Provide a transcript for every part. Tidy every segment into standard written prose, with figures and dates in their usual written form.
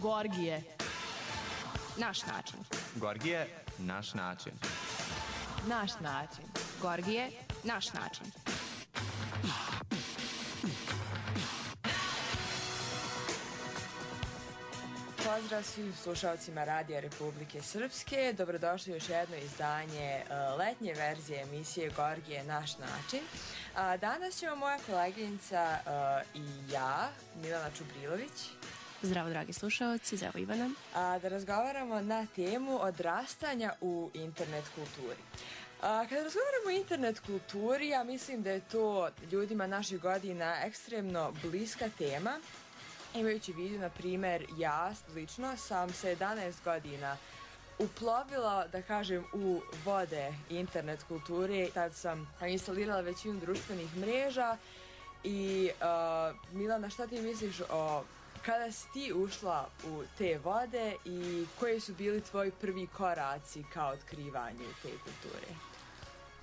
Gorgije. Naš način. Gorgije, naš način. Naš način. Gorgije, naš način. Pozdrav svim slušalcima Radija Republike Srpske. Dobrodošli u još jedno izdanje letnje verzije emisije Gorgije, naš način. Danas ćemo moja koleginica i ja, Milana Čubrilović. Zdravo, dragi slušalci, zdravo Ivana. Da razgovaramo na temu odrastanja u internet kulturi. Kada razgovaramo o internet kulturi, ja mislim da je to ljudima naših godina ekstremno bliska tema. Imajući vidu, na primjer, ja lično sam se 11 godina uplovila, da kažem, u vode internet kulture. Tad sam instalirala većinu društvenih mreža i Milana, šta ti misliš o kada si ti ušla u te vode i koji su bili tvoji prvi koraci ka otkrivanju te kulture?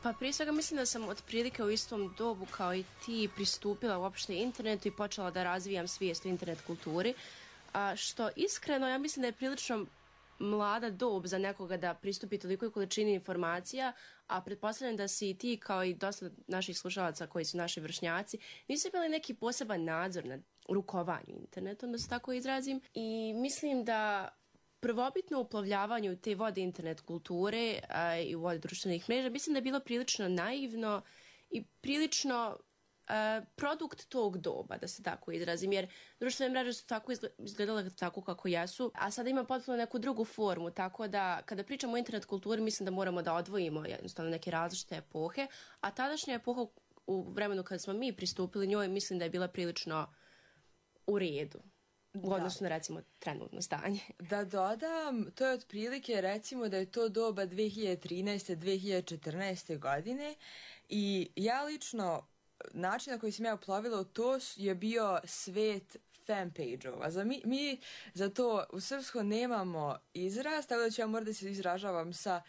Pa prije svega mislim da sam otprilike u istom dobu kao i ti pristupila uopšte internetu i počela da razvijam svijest o internet kulturi, što iskreno ja mislim da je prilično mlada dob za nekoga da pristupi tolikoj količini informacija, a pretpostavljam da si i ti kao i dosta naših slušalaca koji su naši vršnjaci nisu imali neki poseban nadzor nad rukovanju internetom, da se tako izrazim, i mislim da prvobitno uplovljavanju te vode internet kulture i u vode društvenih mreža mislim da je bilo prilično naivno i prilično produkt tog doba, da se tako izrazim, jer društvene mreže su tako izgledale tako kako jesu, a sada ima potpuno neku drugu formu, tako da kada pričamo o internet kulturi mislim da moramo da odvojimo jednostavno neke različite epohe, a tadašnja epoha u vremenu kada smo mi pristupili njoj mislim da je bila prilično u redu u odnosu na, recimo, trenutno stanje. Da dodam, to je otprilike, recimo da je to doba 2013. 2014. godine i ja lično, način na koji sam ja uplovila u to je bio svet fanpage-ova. Mi za to u srpskom nemamo izraz, tako da ću ja morati da se izražavam sa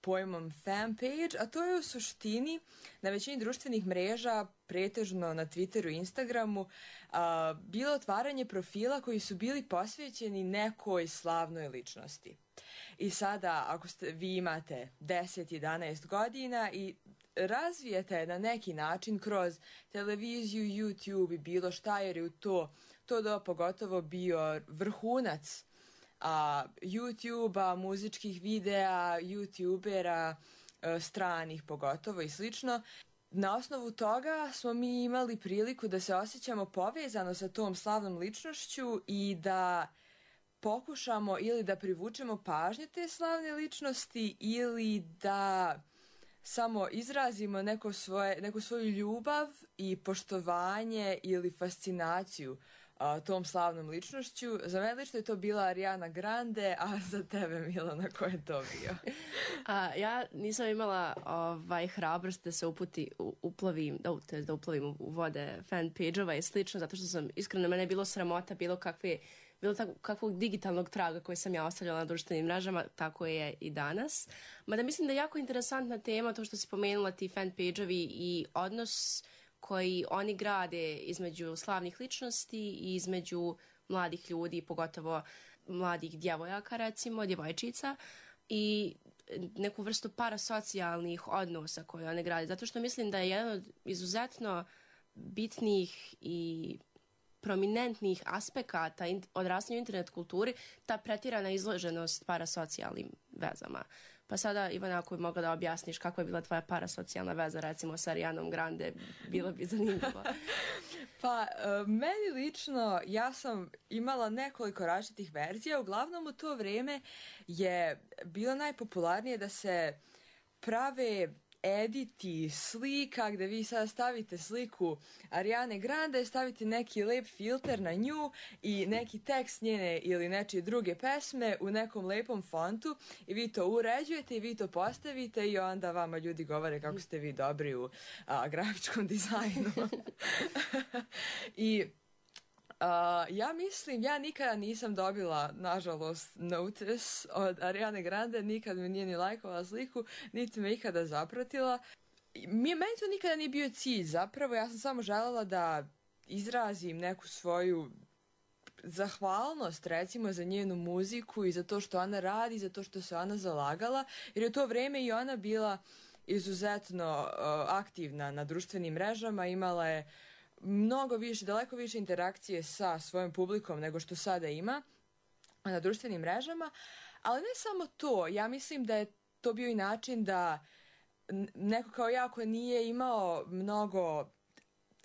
pojmom fanpage, a to je u suštini na većini društvenih mreža, pretežno na Twitteru i Instagramu, bilo otvaranje profila koji su bili posvećeni nekoj slavnoj ličnosti. I sada, ako vi imate 10-11 godina i razvijete na neki način kroz televiziju, YouTube i bilo šta, jer je u to doba pogotovo bio vrhunac YouTube-a, muzičkih videa, YouTubera, stranih pogotovo i slično. Na osnovu toga smo mi imali priliku da se osjećamo povezano sa tom slavnom ličnošću i da pokušamo ili da privučemo pažnju te slavne ličnosti ili da samo izrazimo neku svoju ljubav i poštovanje ili fascinaciju tom slavnom ličnošću. Za mene lično je to bila Ariana Grande, a za tebe, Milana, ko je to bio? Ja nisam imala hrabrost da se uplovim u vode fanpage-ova i slično, zato što sam, iskreno, mene je bilo sramota bilo kakvog digitalnog traga koji sam ja ostavljala na društvenim mrežama, tako je i danas. Mada mislim da je jako interesantna tema to što si pomenula, ti fanpage-ovi i odnos koji oni grade između slavnih ličnosti i između mladih ljudi, pogotovo mladih djevojaka, recimo, djevojčica, i neku vrstu parasocijalnih odnosa koje one grade. Zato što mislim da je jedan od izuzetno bitnih i prominentnih aspekata odrastanja u internet kulturi ta pretirana izloženost parasocijalnim vezama. Pa sada, Ivana, ako bi mogla da objasniš kako je bila tvoja parasocijalna veza, recimo sa Arianom Grande, bilo bi zanimljivo. Pa, meni lično, ja sam imala nekoliko različitih verzija. Uglavnom u to vrijeme je bilo najpopularnije da se prave editi slika gde vi sada stavite sliku Ariane Grande, stavite neki lep filter na nju i neki tekst njene ili nečije druge pesme u nekom lepom fontu i vi to uređujete i vi to postavite i onda vama ljudi govore kako ste vi dobri u grafičkom dizajnu. I ja mislim, ja nikada nisam dobila, nažalost, notice od Ariane Grande, nikad mi nije ni lajkovala sliku, niti me ikada zapratila. Meni to nikada nije bio cilj, zapravo ja sam samo željela da izrazim neku svoju zahvalnost recimo za njenu muziku i za to što ona radi, za to što se ona zalagala, jer je u to vreme i ona bila izuzetno aktivna na društvenim mrežama, imala je mnogo više, daleko više interakcije sa svojom publikom nego što sada ima na društvenim mrežama, ali ne samo to, ja mislim da je to bio i način da neko kao ja ko nije imao mnogo,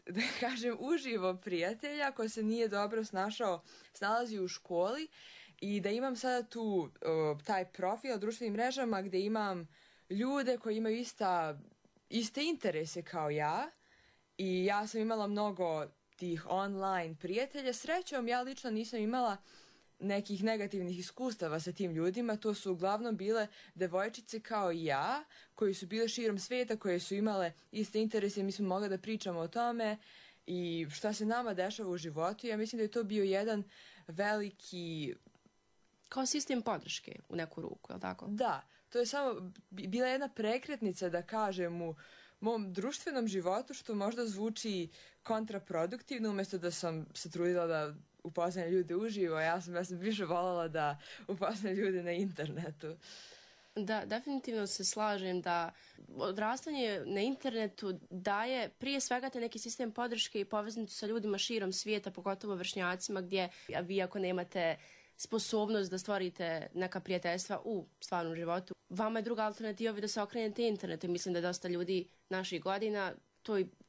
da kažem, uživo prijatelja, ko se nije dobro snalazi u školi i da imam sada tu taj profil na društvenim mrežama gde imam ljude koji imaju iste interese kao ja i ja sam imala mnogo tih online prijatelja. Srećom, ja lično nisam imala nekih negativnih iskustava sa tim ljudima, to su uglavnom bile devojčice kao i ja, koji su bile širom svijeta, koje su imale iste interese, mi smo mogli da pričamo o tome i šta se nama dešava u životu. Ja mislim da je to bio jedan veliki... Kao sistem podrške u neku ruku, je li tako? Da, to je samo bila jedna prekretnica, da kažem, u mom društvenom životu, što možda zvuči kontraproduktivno, umjesto da sam se trudila da upoznam ljude uživo, ja sam više voljela da upoznam ljude na internetu. Da, definitivno se slažem da odrastanje na internetu daje prije svega te neki sistem podrške i poveznicu sa ljudima širom svijeta, pogotovo vršnjacima, gdje vi ako nemate sposobnost da stvorite neka prijateljstva u stvarnom životu, vama je druga alternativa da se okrenete internetu. Mislim da je dosta ljudi naših godina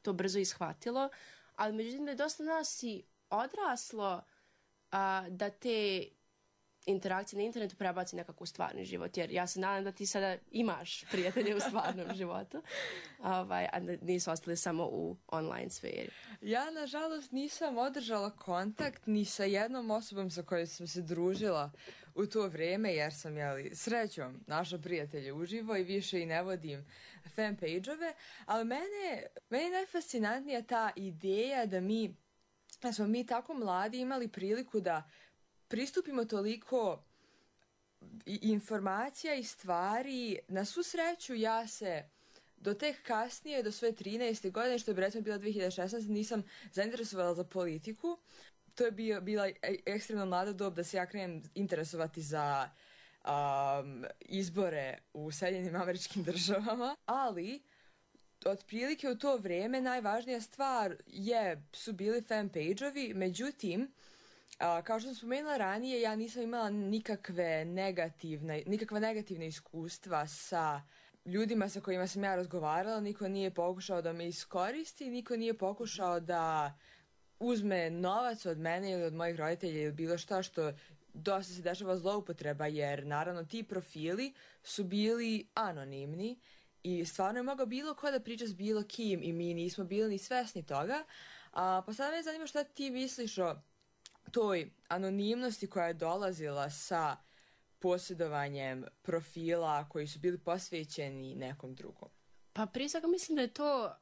to brzo ishvatilo, ali međutim da je dosta nas i odraslo da te interakcije na internetu prebaci nekako u stvarni život, jer ja se nadam da ti sada imaš prijatelje u stvarnom životu, a nisu ostali samo u online sferi. Ja, nažalost, nisam održala kontakt ni sa jednom osobom sa kojoj sam se družila u to vrijeme, jer sam, srećom našla prijatelje uživo i više i ne vodim fanpage-ove, ali meni je najfascinantnija ta ideja da smo mi tako mladi imali priliku da pristupimo toliko informacija i stvari. Na svu sreću ja se do tek kasnije, do svoje 13. godine, što je recimo bila 2016, nisam zainteresovala za politiku. To je bila ekstremno mlada dob da se ja krenem interesovati za izbore u Sjedinjenim Američkim Državama, ali otprilike u to vrijeme najvažnija stvar su bili fanpage-ovi, međutim, kao što sam spomenula ranije, ja nisam imala nikakva negativna iskustva sa ljudima sa kojima sam ja razgovarala, niko nije pokušao da me iskoristi, niko nije pokušao da uzme novac od mene ili od mojih roditelja ili bilo šta, što dosta se dešava zloupotreba, jer naravno ti profili su bili anonimni i stvarno je mogao bilo ko da priča s bilo kim i mi nismo bili ni svesni toga. Pa sada me zanima šta ti misliš o toj anonimnosti koja je dolazila sa posjedovanjem profila koji su bili posvećeni nekom drugom. Pa prije svega mislim da je to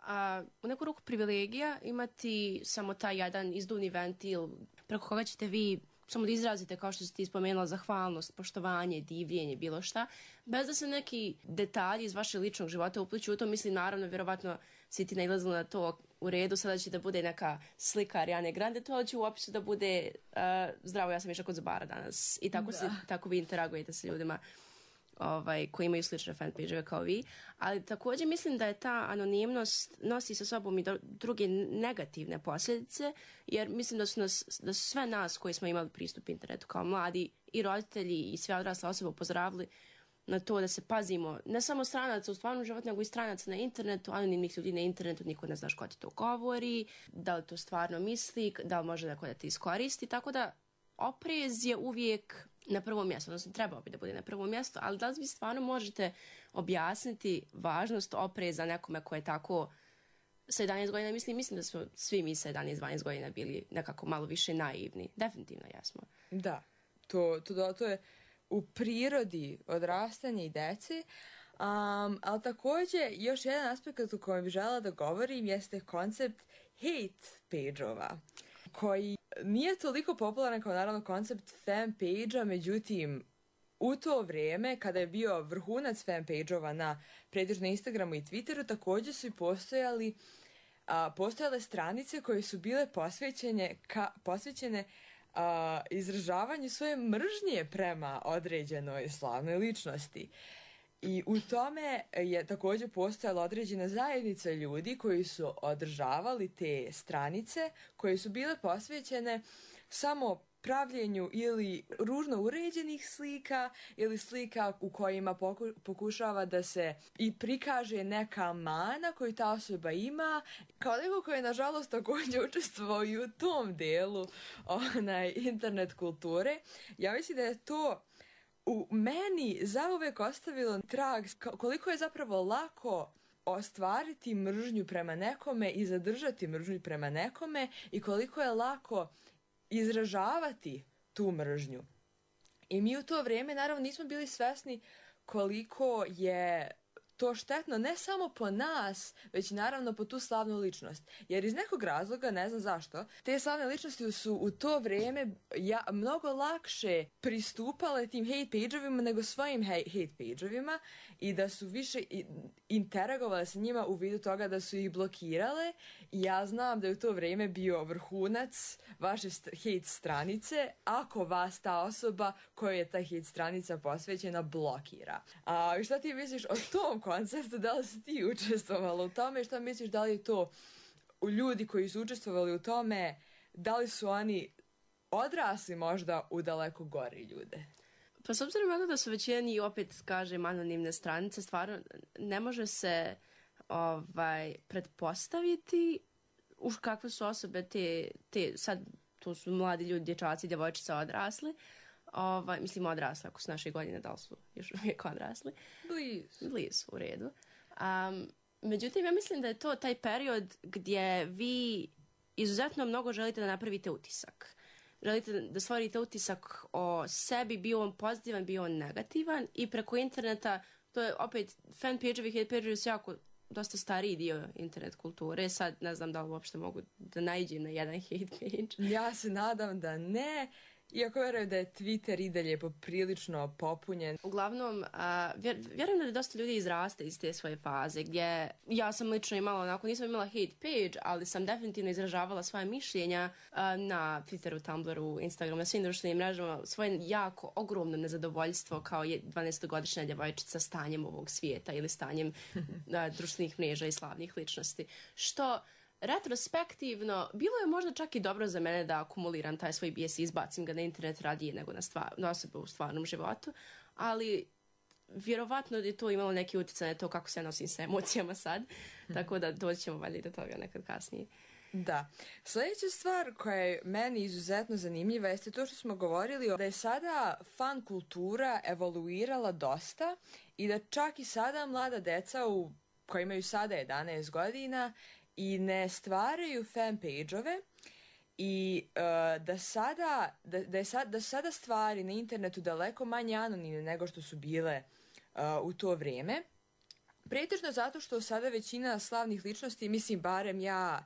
u neku ruku privilegija imati samo taj jedan izduvni ventil preko koga ćete vi samo da izrazite, kao što si ti spomenula, zahvalnost, poštovanje, divljenje, bilo šta, bez da se neki detalji iz vašeg ličnog života upliču u to. Mislim, naravno, vjerovatno si ti nailazila na to u redu, sada će da bude neka slika Ariane Grande, to će u opisu da bude zdravo, ja sam išla kod zubara danas. I tako vi interagujete sa ljudima koji imaju slične fanpage-ove kao vi. Ali također mislim da je ta anonimnost nosi sa sobom i druge negativne posljedice, jer mislim da su sve nas koji smo imali pristup internetu kao mladi i roditelji i sve odrasle osobe upozoravali na to da se pazimo ne samo stranaca u stvarnom životu, nego i stranaca na internetu, anonimnih ljudi na internetu, niko ne znaš ko ti to govori, da li to stvarno misli, da li može neko da te iskoristi, tako da oprez je uvijek na prvom mjestu, odnosno trebao bi da bude na prvom mjestu, ali da li vi stvarno možete objasniti važnost opreza nekome ko je tako sa 11 godina, mislim da smo svi mi sa 11-12 godina bili nekako malo više naivni. Definitivno jesmo. Da, to je u prirodi odrastanja i deci, ali također još jedan aspekt o kojem bih željela da govorim jeste koncept hate page-ova, koji nije toliko popularan kao naravno koncept fanpage-a, međutim u to vrijeme kada je bio vrhunac fanpage-ova na pretežno Instagramu i Twitteru, također su i postojale stranice koje su bile posvećene izražavanju svoje mržnje prema određenoj slavnoj ličnosti. I u tome je također postojala određena zajednica ljudi koji su održavali te stranice koje su bile posvećene samo pravljenju ili ružno uređenih slika ili slika u kojima pokušava da se i prikaže neka mana koju ta osoba ima, kao neko koji je nažalost također učestvovao i u tom delu internet kulture. Ja mislim da je to u meni zauvek ostavilo trag koliko je zapravo lako ostvariti mržnju prema nekome i zadržati mržnju prema nekome i koliko je lako izražavati tu mržnju. I mi u to vrijeme naravno nismo bili svesni koliko je to štetno ne samo po nas, već naravno po tu slavnu ličnost. Jer iz nekog razloga, ne znam zašto, te slavne ličnosti su u to vrijeme mnogo lakše pristupale tim hate page-ovima nego svojim hate page-ovima i da su više interagovale sa njima u vidu toga da su ih blokirale. I ja znam da je u to vrijeme bio vrhunac vaše hate stranice ako vas ta osoba kojoj je ta hate stranica posvećena blokira. I šta ti misliš o tom konceptu? Da li si ti učestvovala u tome? Šta misliš, da li je to ljudi koji su učestvovali u tome, da li su oni odrasli možda u daleko gori ljude? Pa s obzirom na to da su većina njih, opet kažem, anonimne stranice, stvarno ne može se pretpostaviti kakve su osobe te sad, to su mladi ljudi, dječaci, djevojčice odrasli. Mislim odrasli, ako su naše godine, da li su još uvijek odrasli? Blizu, u redu. Međutim, ja mislim da je to taj period gdje vi izuzetno mnogo želite da napravite utisak. Želite da stvorite utisak o sebi, bio on pozitivan, bio on negativan, i preko interneta, to je opet fanpage-ovi, hate page-ovi su jako dosta stariji dio internet kulture. Sad ne znam da li uopšte mogu da naiđem na jedan hate page. Ja se nadam da ne, iako vjerujem da je Twitter i dalje poprilično popunjen. Uglavnom, vjerujem da je dosta ljudi izraste iz te svoje faze, gdje ja sam lično imala, nisam imala hate page, ali sam definitivno izražavala svoje mišljenja na Twitteru, Tumblru, Instagramu, na svim društvenim mrežama, svoje jako ogromno nezadovoljstvo kao 12-godišnja djevojčica stanjem ovog svijeta ili stanjem društvenih mreža i slavnih ličnosti. Što retrospektivno, bilo je možda čak i dobro za mene da akumuliram taj svoj bijes i izbacim ga na internet radije nego na osobe u stvarnom životu, ali vjerovatno je to imalo neki utjecaj na to kako se ja nosim sa emocijama sad, tako da doći ćemo valjda do toga nekad kasnije. Da. Sljedeća stvar koja je meni izuzetno zanimljiva jeste to što smo govorili da je sada fan kultura evoluirala dosta i da čak i sada mlada deca koji imaju sada 11 godina i ne stvaraju fanpage-ove i da su sada stvari na internetu daleko manje anonimne nego što su bile u to vrijeme. Pretežno zato što sada većina slavnih ličnosti, mislim barem ja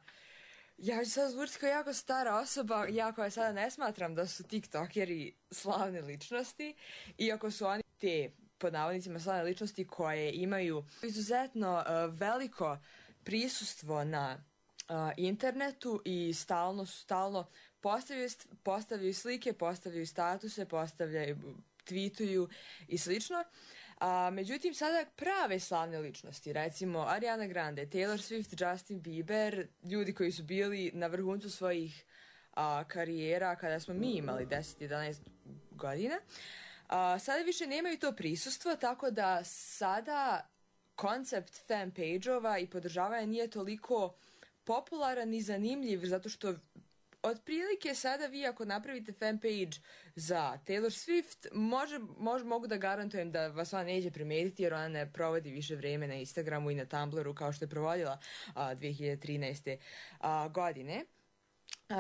ću sad zvučiti kao jako stara osoba, ja koja sada ne smatram da su tiktokeri slavne ličnosti, iako su oni te, pod navodnicima, slavne ličnosti koje imaju izuzetno veliko prisustvo na internetu i stalno postavljaju slike, postavljaju statuse, tweetuju i slično. Međutim, sada prave slavne ličnosti, recimo Ariana Grande, Taylor Swift, Justin Bieber, ljudi koji su bili na vrhuncu svojih karijera kada smo mi imali 10-11 godina, sada više nemaju to prisustvo, tako da sada koncept fanpage-ova i podržavanja nije toliko popularan i zanimljiv, zato što otprilike sada vi ako napravite fanpage za Taylor Swift, mogu da garantujem da vas ona neće primetiti jer ona ne provodi više vrijeme na Instagramu i na Tumblru kao što je provodila 2013. Godine.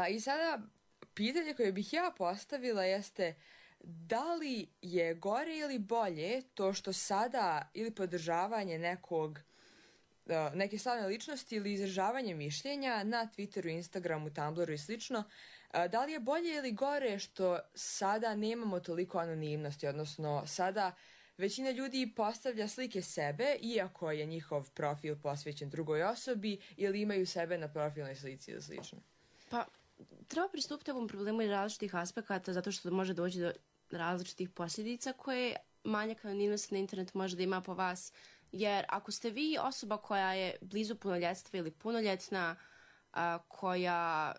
I sada pitanje koje bih ja postavila jeste da li je gore ili bolje to što sada ili podržavanje neke slavne ličnosti ili izražavanje mišljenja na Twitteru, Instagramu, Tumblru i slično, da li je bolje ili gore što sada nemamo toliko anonimnosti, odnosno sada većina ljudi postavlja slike sebe iako je njihov profil posvećen drugoj osobi ili imaju sebe na profilnoj slici ili slično? Pa, treba pristupiti ovom problemu iz različitih aspekata zato što može doći do različitih posljedica koje manjak anonimnosti na internetu može da ima po vas. Jer ako ste vi osoba koja je blizu punoljetstva ili punoljetna, koja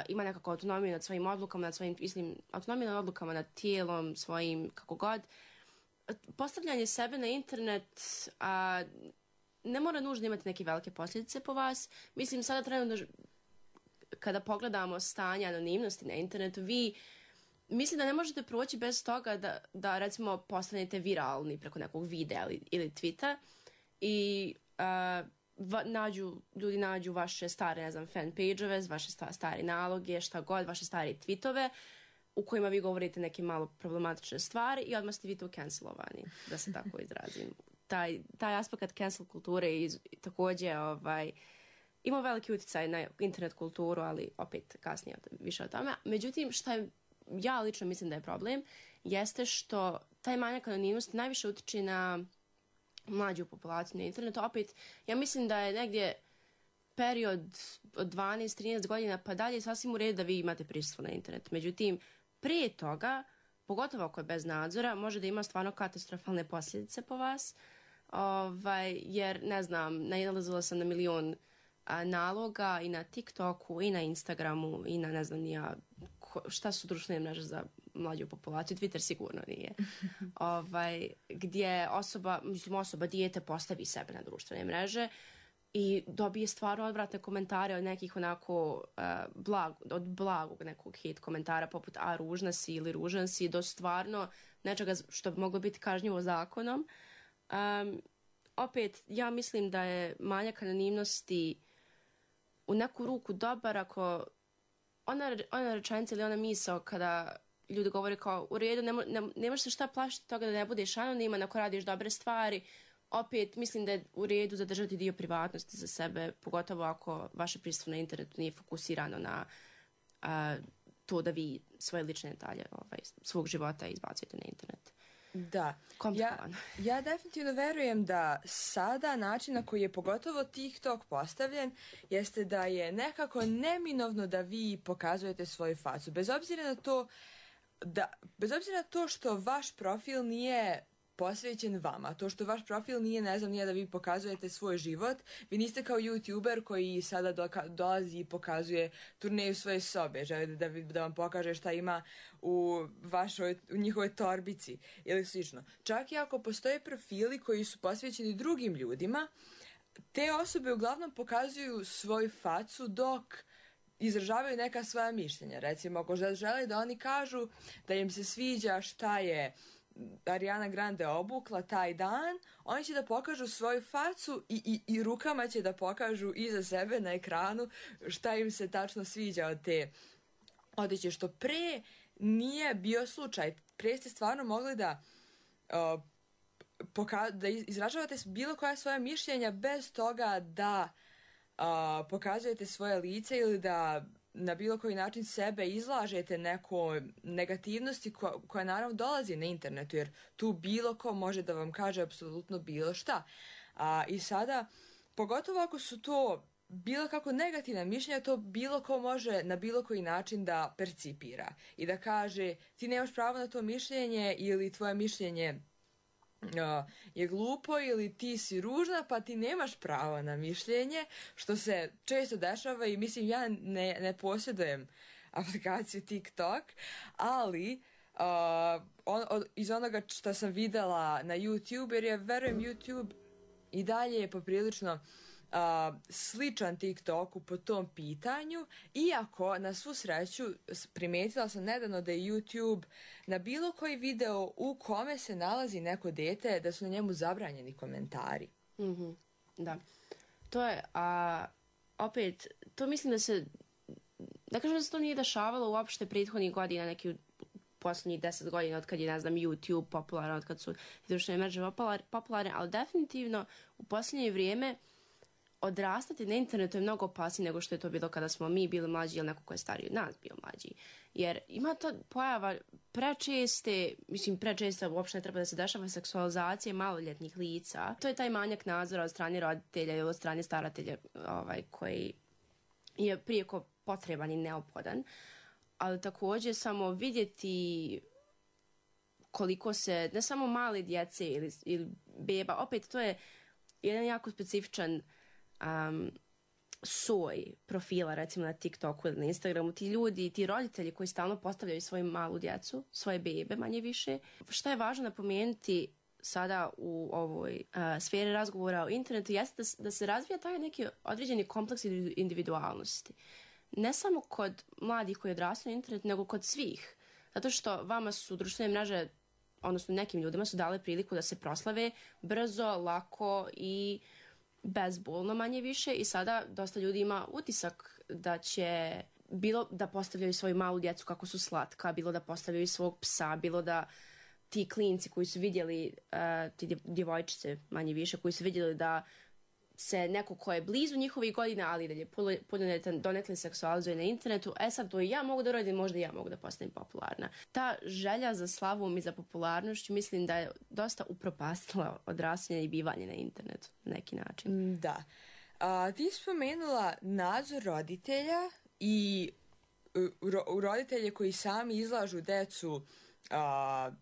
ima nekako autonomiju nad svojim odlukama, nad svojim, autonomiju nad odlukama nad tijelom svojim, kako god, postavljanje sebe na internet ne mora nužno imati neke velike posljedice po vas. Mislim, sada trenutno kada pogledamo stanje anonimnosti na internetu, vi mislim da ne možete proći bez toga da recimo postanete viralni preko nekog videa ili tweeta i ljudi nađu vaše stare, ne znam, fan page-ove, vaše stare naloge, šta god, vaše stare tweetove u kojima vi govorite neke malo problematične stvari i odmah ste vi tu cancelovani, da se tako izrazim. Taj aspekt cancel kulture također ima veliki utjecaj na internet kulturu, ali opet kasnije više o tome. Međutim, šta ja lično mislim da je problem, jeste što taj manjak anonimnosti najviše utiče na mlađu populaciju na internetu. Opet, ja mislim da je negdje period od 12-13 godina pa dalje sasvim u redu da vi imate prisustvo na internetu. Međutim, prije toga, pogotovo ako je bez nadzora, može da ima stvarno katastrofalne posljedice po vas. Jer, ne znam, nailazila sam na milion naloga i na TikToku i na Instagramu i na ne znam nija šta su društvene mreže za mlađu populaciju, Twitter sigurno nije. Gdje osoba dijete postavi sebe na društvene mreže i dobije stvarno odvratne komentare od nekih onako od blagog nekog hate komentara poput ružna si ili ružan si do stvarno nečega što bi moglo biti kažnjivo zakonom. Opet, ja mislim da je manjak anonimnosti u neku ruku dobar ako ona rečenica ili ona misao kada ljudi govore kao u redu, ne možeš se šta plašiti toga da ne budeš anoniman ako radiš dobre stvari. Opet mislim da je u redu zadržati dio privatnosti za sebe, pogotovo ako vaše prisustvo na internetu nije fokusirano na to da vi svoje lične detalje svog života izbacujete na internet. Da, ja definitivno verujem da sada način na koji je pogotovo TikTok postavljen jeste da je nekako neminovno da vi pokazujete svoju facu. Bez obzira na to što vaš profil nije posvećen vama, to što vaš profil nije da vi pokazujete svoj život, vi niste kao YouTuber koji sada dolazi i pokazuje turneju svoje sobe, želi da vam pokaže šta ima u njihovoj torbici ili slično. Čak i ako postoje profili koji su posvećeni drugim ljudima, te osobe uglavnom pokazuju svoju facu dok izražavaju neka svoja mišljenja. Recimo, ako žele da oni kažu da im se sviđa šta je Ariana Grande obukla taj dan, oni će da pokažu svoju facu i rukama će da pokažu iza sebe na ekranu šta im se tačno sviđa od te odeće, što pre nije bio slučaj. Pre ste stvarno mogli da izražavate bilo koja svoja mišljenja bez toga da pokazujete svoje lice ili da na bilo koji način sebe izlažete nekoj negativnosti koja naravno dolazi na internetu, jer tu bilo ko može da vam kaže apsolutno bilo šta. I sada, pogotovo ako su to bilo kako negativna mišljenja, to bilo ko može na bilo koji način da percipira i da kaže ti nemaš pravo na to mišljenje ili tvoje mišljenje je glupo ili ti si ružna pa ti nemaš pravo na mišljenje, što se često dešava i mislim ja ne posjedujem aplikaciju TikTok, ali iz onoga što sam videla na YouTube, jer ja verujem YouTube i dalje je poprilično sličan TikToku po tom pitanju, iako na svu sreću primijetila sam nedavno da je YouTube na bilo koji video u kome se nalazi neko dete da su na njemu zabranjeni komentari. Mm-hmm. Da. To je, opet, to mislim da se, da kažem da se to nije dešavalo uopšte prethodnih godina, neki posljednjih 10 godina od kad je, ne znam, YouTube popularan, od kad su društvene mreže popularne, ali definitivno u posljednje vrijeme odrastati na internetu je mnogo opasnije nego što je to bilo kada smo mi bili mlađi ili neko ko je stariji od nas bio mlađi. Jer ima ta pojava prečeste uopšte ne treba da se dešava seksualizacije maloljetnih lica. To je taj manjak nadzora od strane roditelja ili od strane staratelja koji je prijeko potreban i neophodan, ali također samo vidjeti koliko se, ne samo male djece ili beba, opet to je jedan jako specifičan soj profila, recimo na TikToku ili na Instagramu, ti ljudi, ti roditelji koji stalno postavljaju svoju malu djecu, svoje bebe manje više. Šta je važno napomenuti sada u ovoj sferi razgovora o internetu jeste da se razvija taj neki određeni kompleks individualnosti. Ne samo kod mladih koji odrastaju na internet, nego kod svih. Zato što vama su društvene mreže, odnosno nekim ljudima su dale priliku da se proslave brzo, lako i bezbolno manje više i sada dosta ljudi ima utisak da će bilo da postavljaju svoju malu djecu kako su slatka, bilo da postavljaju svog psa, bilo da ti klinci koji su vidjeli, ti djevojčice manje više, koji su vidjeli da se neko ko je blizu njihovih godina, ali da je punoljetan donekle seksualizuje na internetu, sad to i ja mogu da uradim, možda i ja mogu da postanem popularna. Ta želja za slavom i za popularnošću mislim da je dosta upropastila odrastanje i bivanje na internetu na neki način. Da. Ti spomenula nadzor roditelja i roditelje koji sami izlažu decu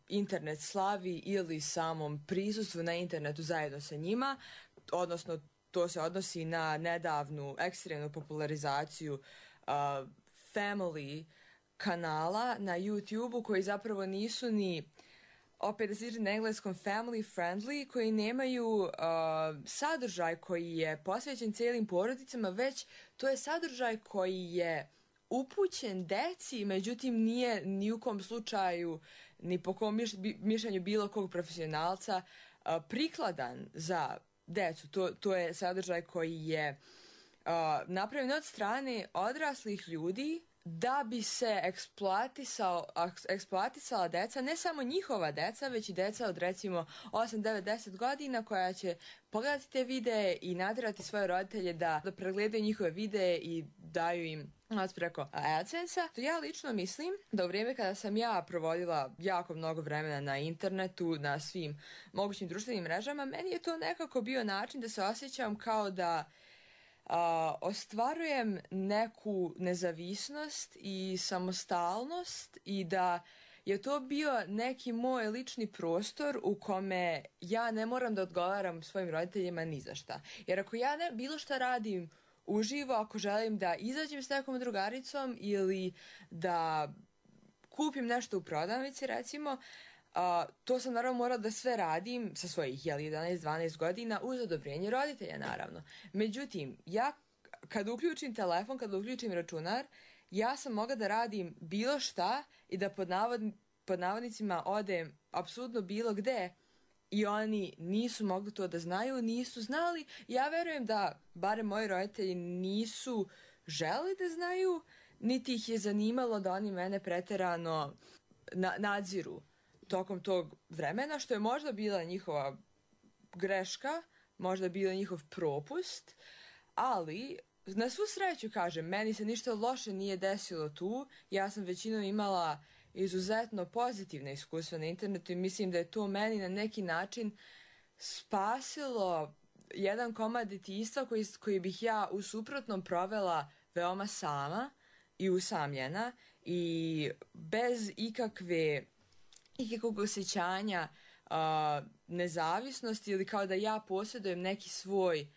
internet slavi ili samom prisustvu na internetu zajedno sa njima, odnosno to se odnosi na nedavnu ekstremnu popularizaciju family kanala na YouTube-u koji zapravo nisu ni, opet da se na engleskom, family friendly, koji nemaju sadržaj koji je posvećen cijelim porodicama, već to je sadržaj koji je upućen deci, međutim nije ni u kom slučaju, ni po kom mišljenju bilo kog profesionalca prikladan za decu. To je sadržaj koji je napravljen od strane odraslih ljudi da bi se eksploatisala deca, ne samo njihova deca, već i deca od recimo 8, 9, 10 godina koja će pogledati te videe i natjerati svoje roditelje da pregledaju njihove videe i daju im preko AdSense-a. Ja lično mislim da u vrijeme kada sam ja provodila jako mnogo vremena na internetu, na svim mogućim društvenim mrežama, meni je to nekako bio način da se osjećam kao da ostvarujem neku nezavisnost i samostalnost i da je to bio neki moj lični prostor u kome ja ne moram da odgovaram svojim roditeljima ni za šta. Jer ako ja bilo šta radim uživo, ako želim da izađem s nekom drugaricom ili da kupim nešto u prodavnici recimo, to sam naravno morala da sve radim sa svojih 11-12 godina uz odobrenje roditelja naravno. Međutim, ja kad uključim telefon, kad uključim računar, ja sam mogla da radim bilo šta i da pod navodnicima odem apsolutno bilo gde i oni nisu mogli to da znaju, nisu znali. Ja verujem da barem moji roditelji nisu želi da znaju, niti ih je zanimalo da oni mene preterano nadziru tokom tog vremena, što je možda bila njihova greška, možda bila njihov propust, ali na svu sreću, kažem, meni se ništa loše nije desilo tu. Ja sam većinom imala izuzetno pozitivne iskustva na internetu i mislim da je to meni na neki način spasilo jedan komad djetinjstva koji bih ja u suprotnom provela veoma sama i usamljena i bez ikakvog osjećanja nezavisnosti ili kao da ja posjedujem neki svoj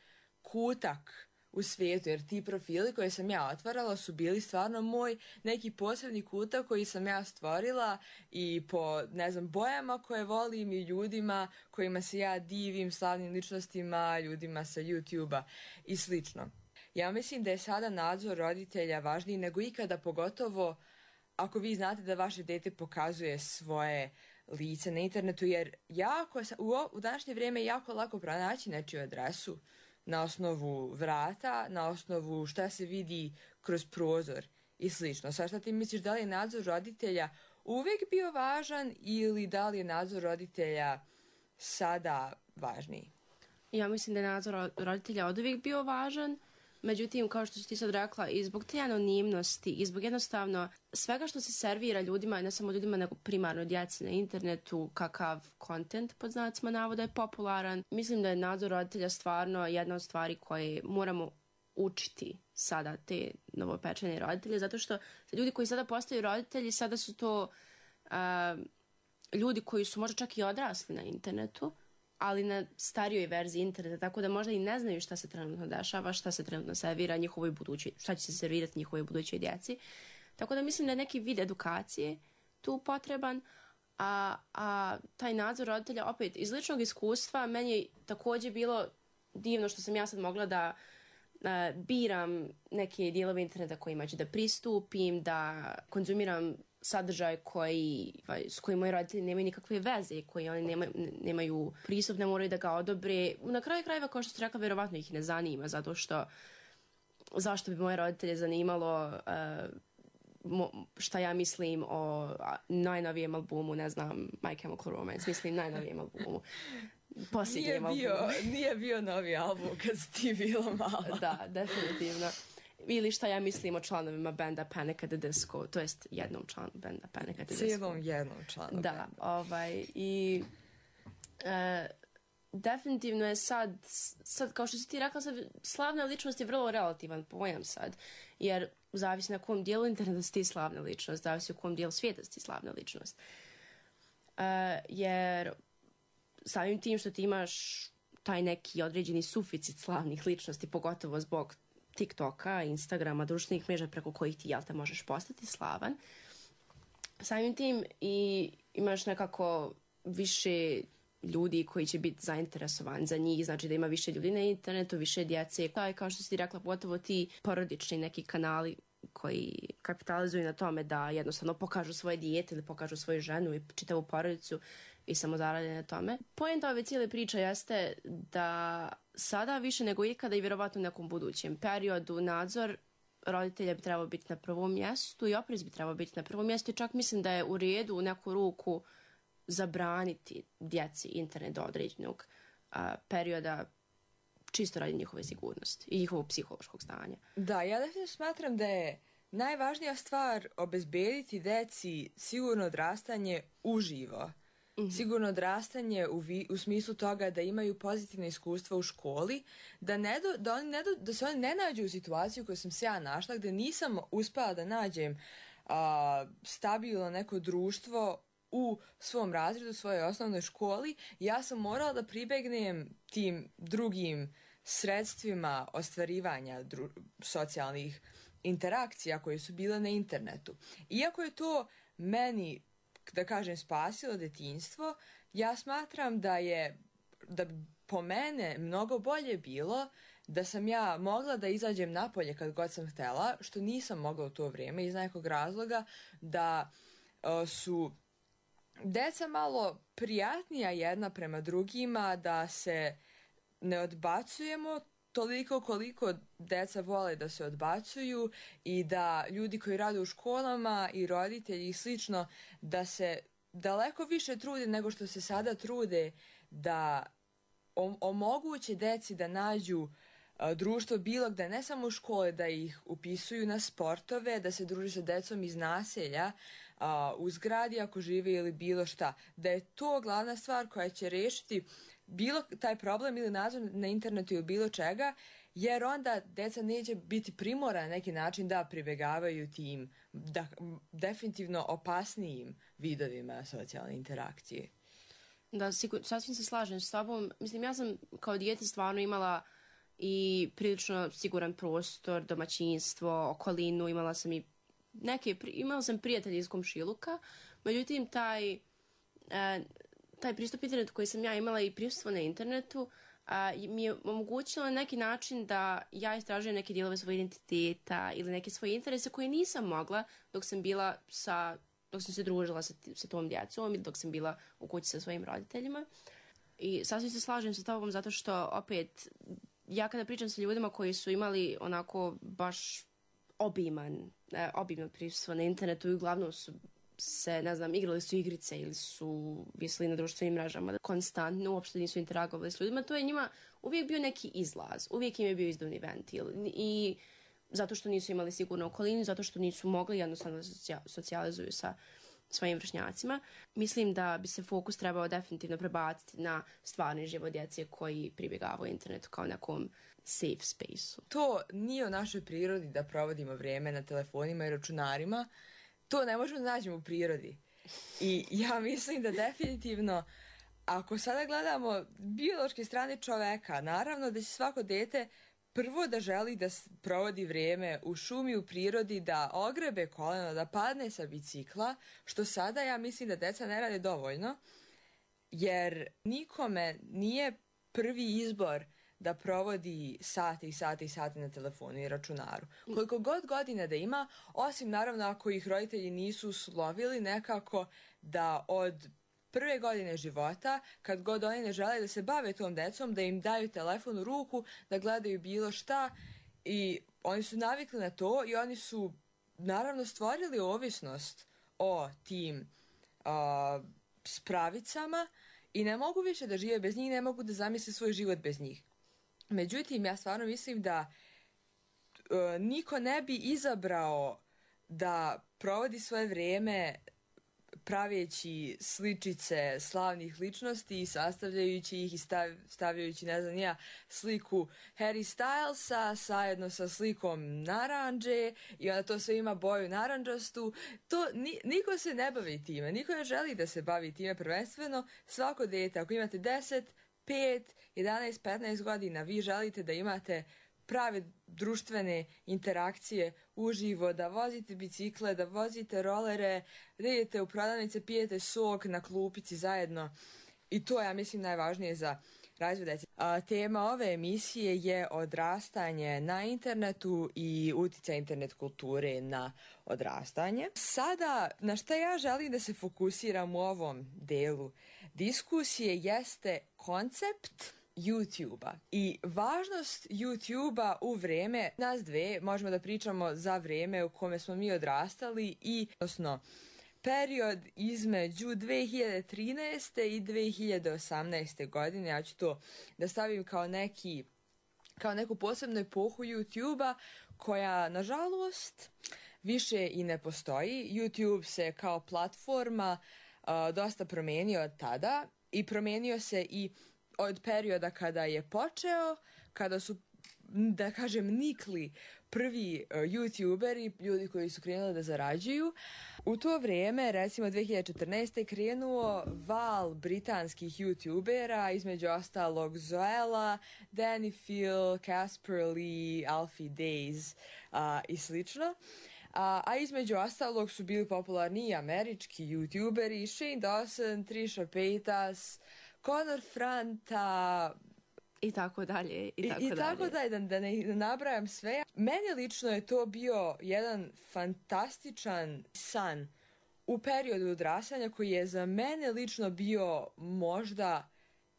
kutak u svijetu, jer ti profili koje sam ja otvarala su bili stvarno moj neki posebni kutak koji sam ja stvorila i po, ne znam, bojama koje volim i ljudima kojima se ja divim, slavnim ličnostima, ljudima sa YouTube-a i slično. Ja mislim da je sada nadzor roditelja važniji nego ikada, pogotovo ako vi znate da vaše dete pokazuje svoje lice na internetu, jer u današnje vrijeme je jako lako pronaći nečiju adresu na osnovu vrata, na osnovu šta se vidi kroz prozor i slično. Sad šta ti misliš, da li je nadzor roditelja uvijek bio važan ili da li je nadzor roditelja sada važniji? Ja mislim da je nadzor roditelja oduvijek bio važan. Međutim, kao što si ti sad rekla, i zbog te anonimnosti i zbog jednostavno svega što se servira ljudima, ne samo ljudima, nego primarno djeci na internetu, kakav kontent pod znacima navoda je popularan, mislim da je nadzor roditelja stvarno jedna od stvari koje moramo učiti sada te novopečene roditelje, zato što ljudi koji sada postaju roditelji, sada su to ljudi koji su možda čak i odrasli na internetu, ali na starijoj verziji interneta, tako da možda i ne znaju šta se trenutno dešava, šta se trenutno servira njihovoj budućoj, šta će se servirati njihovoj budućoj djeci. Tako da mislim da je neki vid edukacije tu potreban, a taj nadzor roditelja, opet, iz ličnog iskustva, meni je također bilo divno što sam ja sad mogla da biram neke dijelove interneta kojima ću da pristupim, da konzumiram sadržaj s kojim moji roditelji nemaju nikakve veze, koji oni nemaju pristup, ne moraju da ga odobre. Na kraju krajeva, kao što ste rekla, vjerovatno ih ne zanima, zato što zašto bi moje roditelje zanimalo šta ja mislim o najnovijem albumu, ne znam, My Chemical Romance, mislim najnovijem albumu. Posljednjem albumu. Nije bio novi album kad si ti bila mala. Da, definitivno. Ili šta ja mislim o članovima benda Panic at the Disco, to jest jednom članu benda Panic at the Disco. Cijelom jednom članu benda. I definitivno je sad, kao što si ti rekla, sad, slavna ličnost je vrlo relativan pojam sad, jer zavisi na kom dijelu interneta si ti slavna ličnost, zavisi u kom dijelu svijeta si ti slavna ličnost. Jer samim tim što ti imaš taj neki određeni suficit slavnih ličnosti, pogotovo zbog TikToka, Instagrama, društvenih mreža preko kojih ti, jel te, možeš postati slavan. Samim tim i imaš nekako više ljudi koji će biti zainteresovani za njih, znači da ima više ljudi na internetu, više djece. Kao što si rekla, pogotovo ti porodični neki kanali koji kapitalizuju na tome da jednostavno pokažu svoje dijete ili pokažu svoju ženu i čitavu porodicu i samo zarade na tome. Poenta ove cijele priče jeste da sada više nego ikada i vjerovatno u nekom budućem periodu nadzor roditelja bi trebao biti na prvom mjestu i oprez bi trebao biti na prvom mjestu i čak mislim da je u redu u neku ruku zabraniti djeci internet do određenog perioda čisto radi njihove sigurnosti i njihovog psihološkog stanja. Da, ja definitivno smatram da je najvažnija stvar obezbediti djeci sigurno odrastanje uživo. Sigurno odrastanje u smislu toga da imaju pozitivne iskustva u školi, da se oni ne nađu u situaciju koju sam se ja našla, gdje nisam uspela da nađem stabilno neko društvo u svom razredu, u svojoj osnovnoj školi. Ja sam morala da pribegnem tim drugim sredstvima ostvarivanja socijalnih interakcija koje su bile na internetu. Iako je to meni, da kažem, spasilo detinjstvo, ja smatram da bi po mene mnogo bolje bilo da sam ja mogla da izađem napolje kad god sam htjela, što nisam mogla u to vrijeme iz nekog razloga, da su deca malo prijatnija jedna prema drugima, da se ne odbacujemo toliko koliko deca vole da se odbacuju i da ljudi koji rade u školama i roditelji i slično, da se daleko više trude nego što se sada trude da omoguće deci da nađu društvo bilo gde, ne samo u škole, da ih upisuju na sportove, da se druži sa decom iz naselja, u zgradi ako žive ili bilo šta. Da je to glavna stvar koja će rešiti bilo taj problem ili nadzor na internetu ili bilo čega, jer onda deca neće biti primorana na neki način da pribegavaju tim definitivno opasnijim vidovima socijalne interakcije. Da, sasvim se slažem s tobom. Mislim, ja sam kao dijete stvarno imala i prilično siguran prostor, domaćinstvo, okolinu, imala sam prijatelje iz komšiluka, međutim taj pristup internetu koji sam ja imala i prisustvo na internetu mi je omogućilo na neki način da ja istražujem neke dijelove svoje identiteta ili neke svoje interese koje nisam mogla dok sam se družila sa tom djecom ili dok sam bila u kući sa svojim roditeljima. I sasvim se slažem sa tobom zato što opet ja kada pričam sa ljudima koji su imali onako baš obimno prisustvo na internetu i uglavnom su se, ne znam, igrali su igrice ili su visili na društvenim mrežama konstantno, uopšte nisu interagovali s ljudima, to je njima uvijek bio neki izlaz, uvijek im je bio izduvni ventil i zato što nisu imali sigurnu okolinu, zato što nisu mogli jednostavno da se socijalizuju sa svojim vršnjacima. Mislim da bi se fokus trebao definitivno prebaciti na stvarni život djece koji pribjegavaju internetu kao nekom safe space-u. To nije u našoj prirodi da provodimo vrijeme na telefonima i računarima. To ne možemo da nađemo u prirodi. I ja mislim da definitivno, ako sada gledamo biološke strane čoveka, naravno da će svako dete prvo da želi da provodi vrijeme u šumi, u prirodi, da ogrebe koleno, da padne sa bicikla, što sada ja mislim da deca ne rade dovoljno, jer nikome nije prvi izbor da provodi sate i sate i sate na telefonu i računaru. Koliko god godina da ima, osim naravno ako ih roditelji nisu uslovili nekako da od prve godine života, kad god oni ne žele da se bave tom decom, da im daju telefon u ruku, da gledaju bilo šta i oni su navikli na to i oni su naravno stvorili ovisnost o tim spravicama i ne mogu više da žive bez njih, ne mogu da zamisle svoj život bez njih. Međutim, ja stvarno mislim da niko ne bi izabrao da provodi svoje vrijeme praveći sličice slavnih ličnosti i sastavljajući ih i stavljajući, ne znam ja, sliku Harry Stylesa zajedno sa slikom narandže i onda to sve ima boju narandžastu. To, niko se ne bavi time, niko ne želi da se bavi time prvenstveno. Svako dete, ako imate 10, 5, 11, 15 godina, vi želite da imate prave društvene interakcije uživo, da vozite bicikle, da vozite rolere, da idete u prodavnice, pijete sok na klupici zajedno. I to ja mislim najvažnije za razvoj dece. Tema ove emisije je odrastanje na internetu i utjecaj internet kulture na odrastanje. Sada, na šta ja želim da se fokusiram u ovom delu diskusije jeste koncept YouTube-a i važnost YouTube-a u vrijeme nas dve. Možemo da pričamo za vrijeme u kome smo mi odrastali i odnosno period između 2013. i 2018. godine. Ja ću to da stavim kao neku posebnu epohu YouTube-a koja nažalost više i ne postoji. YouTube se kao platforma dosta promijenio od tada i promijenio se i od perioda kada je počeo, kada su, da kažem, nikli prvi YouTuberi, ljudi koji su krenuli da zarađuju. U to vrijeme, recimo 2014. krenuo val britanskih YouTubera, između ostalog Zoella, Danny Phil, Casper Lee, Alfie Days i slično. A između ostalog su bili popularni i američki YouTuberi, Shane Dawson, Trisha Paytas, Conor Franta i tako dalje. I tako dalje, da ne nabrajam sve. Meni lično je to bio jedan fantastičan san u periodu odrastanja koji je za mene lično bio možda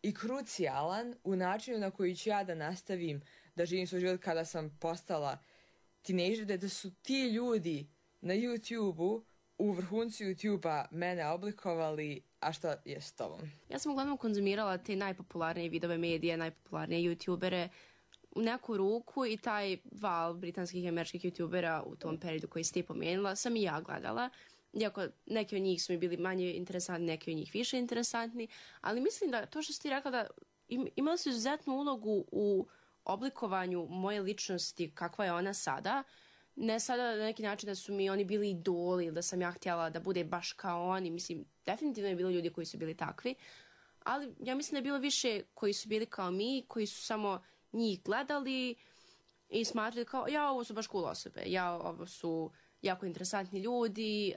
i krucijalan u načinu na koji ću ja da nastavim da živim svoj život kada sam postala tinejdžer, da su ti ljudi na YouTube-u, u vrhuncu YouTube-a mene oblikovali, a šta je s tobom? Ja sam uglavnom konzumirala te najpopularnije vidove medije, najpopularnije YouTubere u neku ruku i taj val britanskih i američkih YouTubera u tom periodu koji si ti pomenula sam i ja gledala. Iako neki od njih su mi bili manje interesantni, neki od njih više interesantni, ali mislim da to što si ti rekla da imala su izuzetnu ulogu u oblikovanju moje ličnosti kakva je ona sada. Ne sada na neki način da su mi oni bili idoli ili da sam ja htjela da bude baš kao oni. Mislim, definitivno je bilo ljudi koji su bili takvi, ali ja mislim da je bilo više koji su bili kao mi, koji su samo njih gledali i smatrali kao ja, ovo su baš cool osobe, ja, ovo su jako interesantni ljudi,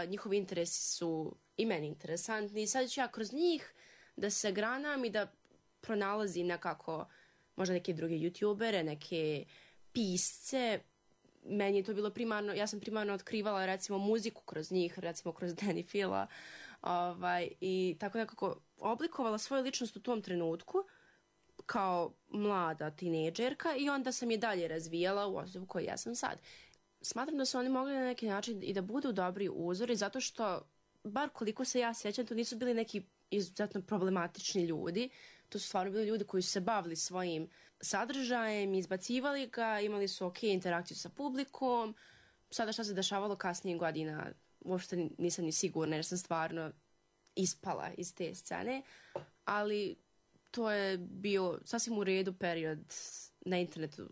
njihovi interesi su i meni interesantni i sad ću ja kroz njih da se granam i da pronalazim nekako možda neke druge YouTubere, neke pisce. Meni je to bilo primarno, ja sam primarno otkrivala recimo muziku kroz njih, recimo kroz Danny Phila i tako nekako oblikovala svoju ličnost u tom trenutku kao mlada tinejdžerka i onda sam je dalje razvijala u osobu koju ja sam sad. Smatram da su oni mogli na neki način i da budu dobri uzori zato što, bar koliko se ja sjećam, to nisu bili neki izuzetno problematični ljudi. To su stvarno bili ljudi koji su se bavili svojim sadržajem, izbacivali ga, imali su ok interakciju sa publikom. Sada šta se dešavalo kasnije godina, uopšte nisam ni sigurna jer sam stvarno ispala iz te scene, ali to je bio sasvim u redu period na internetu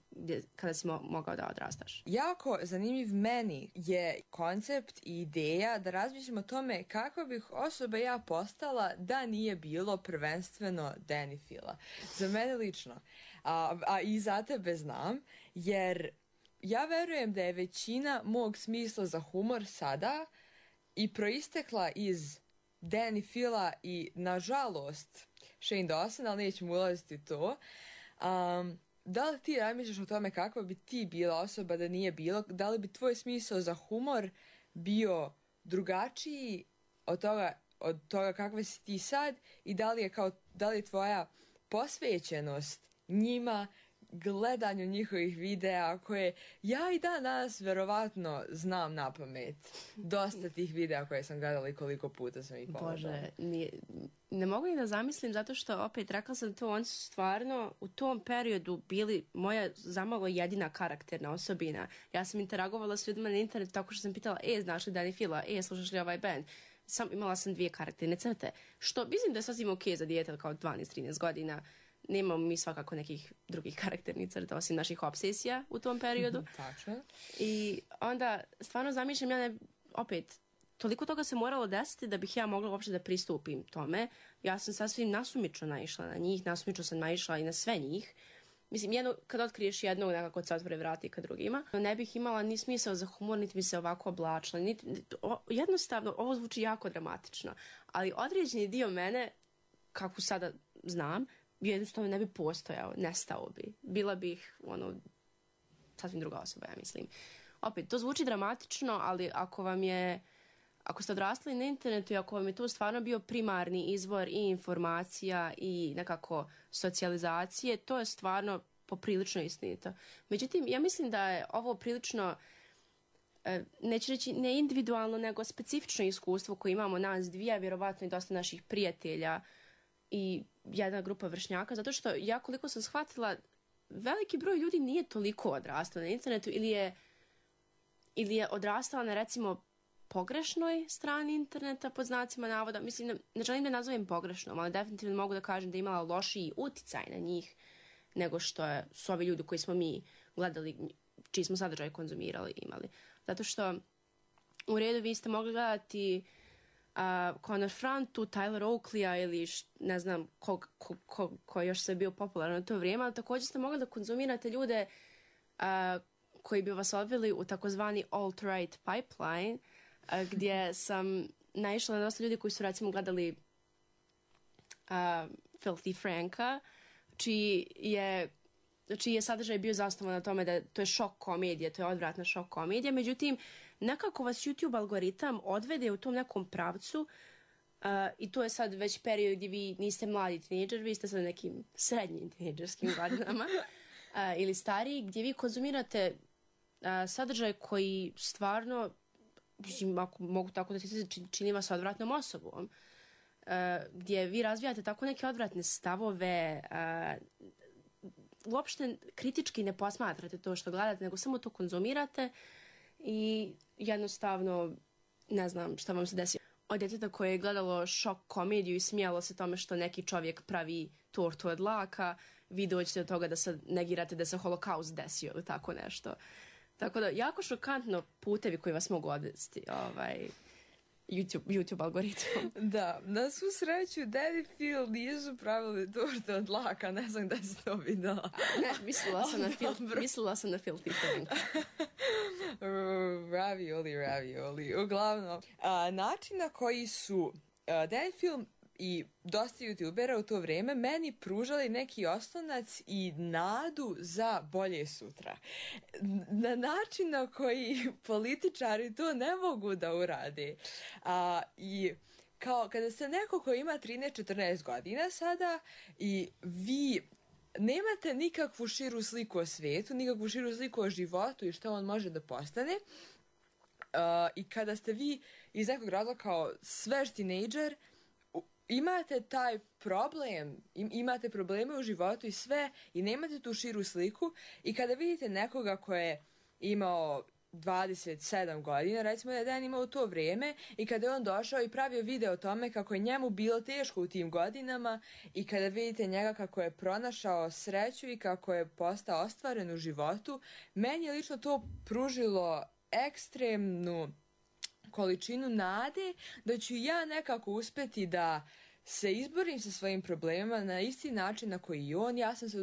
kada si mogao da odrastaš? Jako zanimljiv meni je koncept i ideja da razmišljam o tome kakva bih osoba ja postala da nije bilo prvenstveno Danny Phila. Za mene lično, a i za tebe znam, jer ja verujem da je većina mog smisla za humor sada i proistekla iz Danny Phila i, nažalost, Shane Dawson, ali nećemo ulaziti to. Da li ti razmišljaš o tome kakva bi ti bila osoba da nije bilo? Da li bi tvoj smisao za humor bio drugačiji od toga kakva si ti sad? I da li je tvoja posvećenost njima, gledanju njihovih videa koje ja i danas verovatno znam na pamet. Dosta tih videa koje sam gledala i koliko puta sam ih pogledala. Bože, ne mogu ni da zamislim zato što opet rekla sam to, oni su stvarno u tom periodu bili moja zamalo jedina karakterna osobina. Ja sam interagovala s ljudima na internetu tako što sam pitala, znaš li Danny Phila, slušaš li ovaj band? Imala sam 2 karakterne crte, što mislim da je sasvim ok za dijete kao 12-13 godina. Nemamo mi svakako nekih drugih karakternih crta osim naših obsesija u tom periodu. Tačno. I onda stvarno zamišljam, opet, toliko toga se moralo desiti da bih ja mogla uopšte da pristupim tome. Ja sam sasvim nasumično naišla na njih, nasumično sam naišla i na sve njih. Mislim, kad otkriješ jednog, nekako se otvore vrati ka drugima. Ne bih imala ni smisao za humor, niti bi se ovako oblačila. Jednostavno, ovo zvuči jako dramatično. Ali određeni dio mene, kako sada znam, jednostavno ne bi postojao, nestao bi. Bila bih, sasvim druga osoba, ja mislim. Opet, to zvuči dramatično, ali ako ste odrastali na internetu i ako vam je to stvarno bio primarni izvor i informacija i nekako socijalizacije, to je stvarno poprilično istinito. Međutim, ja mislim da je ovo prilično, neću reći ne individualno, nego specifično iskustvo koje imamo nas dvije, vjerovatno i dosta naših prijatelja i jedna grupa vršnjaka, zato što ja koliko sam shvatila, veliki broj ljudi nije toliko odrastao na internetu ili je odrastala na, recimo, pogrešnoj strani interneta, pod znacima navoda. Mislim, ne želim da nazovem pogrešnom, ali definitivno mogu da kažem da je imala lošiji uticaj na njih nego što su ovi ljudi koji smo mi gledali, čiji smo sadržaj konzumirali imali. Zato što u redu vi ste mogli gledati Conor Frantu, Tyler Oakleya ili ne znam ko još se bio popularan u to vrijeme, ali također ste mogli da konzumirate ljude koji bi vas odveli u takozvani alt-right pipeline, gdje sam naišla na dosta ljudi koji su recimo gledali Filthy Franka, čiji je sadržaj bio zasnovan na tome da to je šok komedija, to je odvratna šok komedija, međutim, nekako vas YouTube algoritam odvede u tom nekom pravcu i to je sad već period gdje vi niste mladi tinejdžer, vi ste sad nekim srednjim tinejdžerskim godinama ili stariji, gdje vi konzumirate sadržaj koji stvarno, mislim, ako mogu tako da se čini vas odvratnom osobom, gdje vi razvijate tako neke odvratne stavove, uopšte kritički ne posmatrate to što gledate, nego samo to konzumirate i jednostavno ne znam šta vam se desi. Od djeteta koje je gledalo šok komediju i smijalo se tome što neki čovjek pravi tortu od laka, vi dođete do toga da se negirate da se holokaust desio ili tako nešto. Tako da, jako šokantno putevi koji vas mogu odvesti YouTube algoritmom. Da, na svu sreću Danny Phil nisu pravili torte od laka, ne znam da si to videla. Ne, mislila sam na Filthy Frank. Ravioli. Uglavnom, način na koji su Danny Phil i dosta youtubera u to vrijeme meni pružali neki oslonac i nadu za bolje sutra. Na način na koji političari to ne mogu da urade. I kao kada ste neko ko ima 13-14 godina sada i vi nemate nikakvu širu sliku o svijetu, nikakvu širu sliku o životu i što on može da postane, i kada ste vi iz nekog razloga kao svež tinejdžer, imate taj problem, imate probleme u životu i sve i nemate tu širu sliku i kada vidite nekoga ko je imao 27 godina, recimo da je Dejan imao to vrijeme i kada je on došao i pravio video o tome kako je njemu bilo teško u tim godinama i kada vidite njega kako je pronašao sreću i kako je postao ostvaren u životu, meni je lično to pružilo ekstremnu količinu nade da ću ja nekako uspeti da se izborim sa svojim problemima na isti način na koji i on. Ja sam se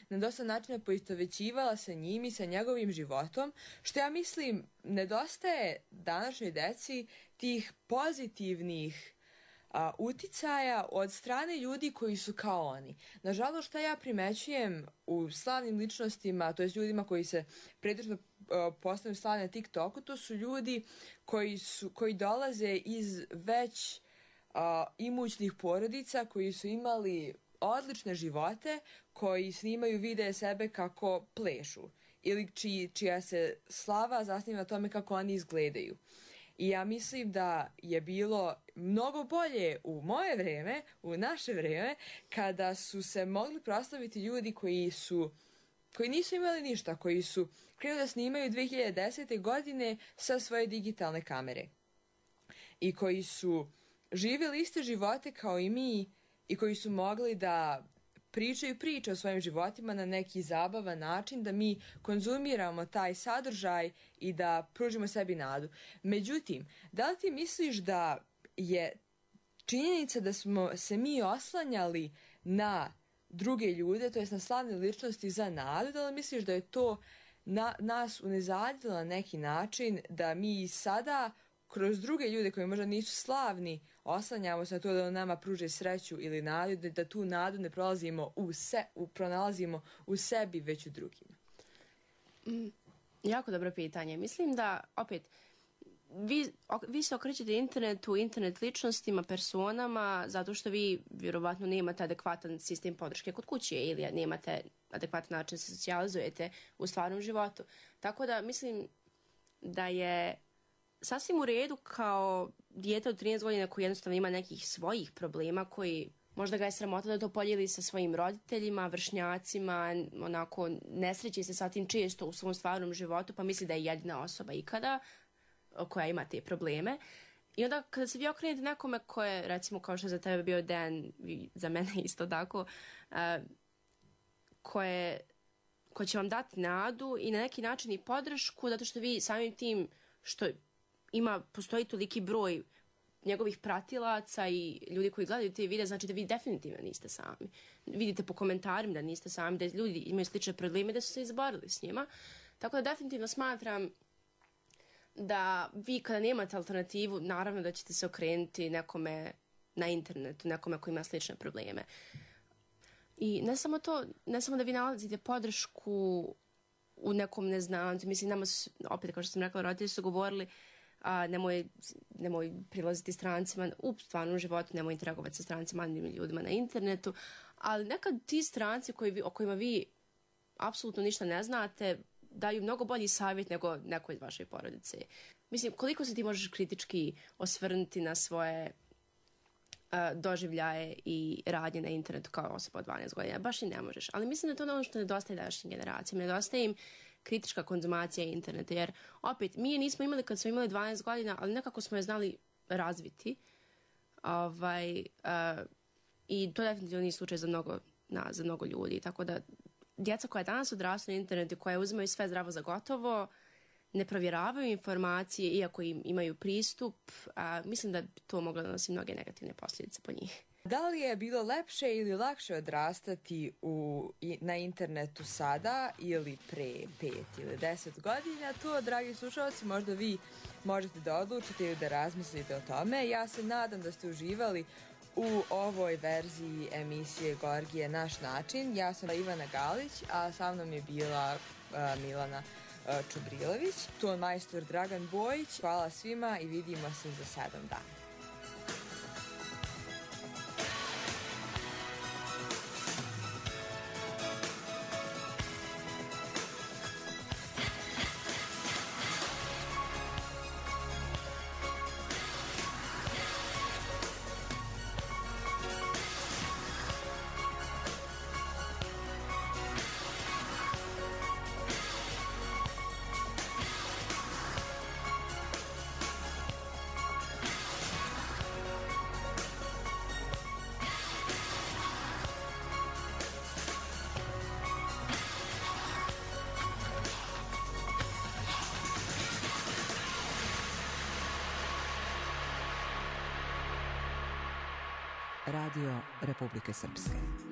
na dosta načina poistovećivala sa njim i sa njegovim životom, što ja mislim nedostaje današnjoj deci tih pozitivnih uticaja od strane ljudi koji su kao oni. Nažalost, što ja primećujem u slavnim ličnostima, to je ljudima koji se pretežno postanu slavni na TikToku, to su ljudi koji dolaze iz već imućnih porodica, koji su imali odlične živote, koji snimaju videe sebe kako plešu ili čija se slava zasniva na tome kako oni izgledaju. I ja mislim da je bilo mnogo bolje u moje vreme, u naše vreme, kada su se mogli proslaviti ljudi koji nisu imali ništa, koji su krenuli da snimaju 2010. godine sa svoje digitalne kamere i koji su živjeli iste živote kao i mi i koji su mogli da pričaju priče o svojim životima na neki zabavan način, da mi konzumiramo taj sadržaj i da pružimo sebi nadu. Međutim, da li ti misliš da je činjenica da smo se mi oslanjali na druge ljude, to jest na slavne ličnosti za nadu, da li misliš da je to nas unezadilo na neki način, da mi sada kroz druge ljude koji možda nisu slavni oslanjamo se na to da nama pruže sreću ili nadu, da tu nadu ne pronalazimo u sebi, već u drugima? Jako dobro pitanje. Mislim da, opet, vi se okrećete internet ličnostima, personama, zato što vi vjerovatno nemate adekvatan sistem podrške kod kuće ili nemate adekvatan način se socijalizujete u stvarnom životu. Tako da mislim da je sasvim u redu kao dijete od 13 godina koji jednostavno ima nekih svojih problema, koji možda ga je sramota da to podijeli sa svojim roditeljima, vršnjacima, onako nesreći se sa tim često u svom stvarnom životu, pa misli da je jedina osoba ikada koja ima te probleme. I onda kada se vi okrenete nekome koje, recimo kao što je za tebe bio Dan, za mene isto tako, ko će vam dati nadu i na neki način i podršku, zato što vi samim tim što postoji toliki broj njegovih pratilaca i ljudi koji gledaju te videe, znači da vi definitivno niste sami. Vidite po komentarima da niste sami, da ljudi imaju slične probleme, da su se izborili s njima. Tako da definitivno smatram da vi kada nemate alternativu, naravno da ćete se okrenuti nekome na internetu, nekome koji ima slične probleme. I ne samo to, ne samo da vi nalazite podršku u nekom neznancu, mislim, nama su, opet kao što sam rekla, roditelji su govorili nemoj prilaziti strancima u stvarnom životu, nemoj interagovati sa strancima, anonimnim ljudima na internetu, ali nekad ti stranci o kojima vi apsolutno ništa ne znate daju mnogo bolji savjet nego neko iz vaše porodice. Mislim, koliko se ti možeš kritički osvrnuti na svoje doživljaje i radnje na internetu kao osoba od 12 godina? Baš i ne možeš. Ali mislim da je to ono što nedostaje današnjim generacijama. Nedostaje im kritička konzumacija interneta, jer opet, mi je nismo imali kad smo imali 12 godina, ali nekako smo je znali razviti. I to definitivno nije slučaj za mnogo ljudi. Tako da, djeca koja danas odrastu na internetu, koja uzimaju sve zdravo za gotovo, ne provjeravaju informacije, iako im imaju pristup, mislim da bi to moglo da nosi mnoge negativne posljedice po njih. Da li je bilo lepše ili lakše odrastati na internetu sada ili pre 5 ili 10 godina? To, dragi slušalci, možda vi možete da odlučite ili da razmislite o tome. Ja se nadam da ste uživali u ovoj verziji emisije Gorgije Naš način. Ja sam Ivana Galić, a sa mnom je bila Milana Čubrilović, ton majstor Dragan Bojić. Hvala svima i vidimo se za 7 dana. Radio Republike Srpske.